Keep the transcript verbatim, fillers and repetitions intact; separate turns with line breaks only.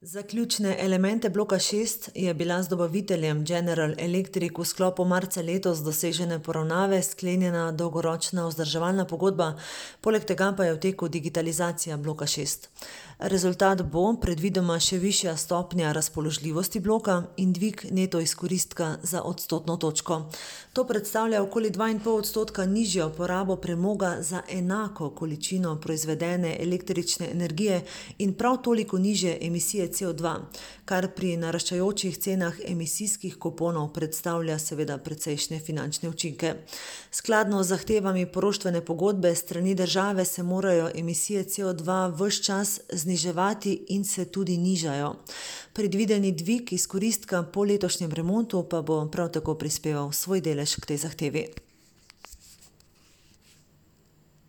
Za ključne elemente bloka šest je bila z dobaviteljem General Electric v sklopu marca letos dosežene poravnave sklenjena dolgoročna vzdrževalna pogodba, poleg tega pa je v teku digitalizacija bloka šest. Rezultat bo predvidoma še višja stopnja razpoložljivosti bloka in dvig neto izkoristka za odstotno točko. To predstavlja okoli dva in pol odstotka nižjo porabo premoga za enako količino proizvedene električne energije in prav toliko nižje emisije C O dva, kar pri naraščajočih cenah emisijskih kuponov predstavlja seveda precejšnje finančne učinke. Skladno z zahtevami poroštvene pogodbe s strani države se morajo emisije C O dva ves čas zniževati in se tudi nižajo. Predvideni dvig izkoristka po letošnjem remontu pa bo prav tako prispeval svoj delež k tej zahtevi.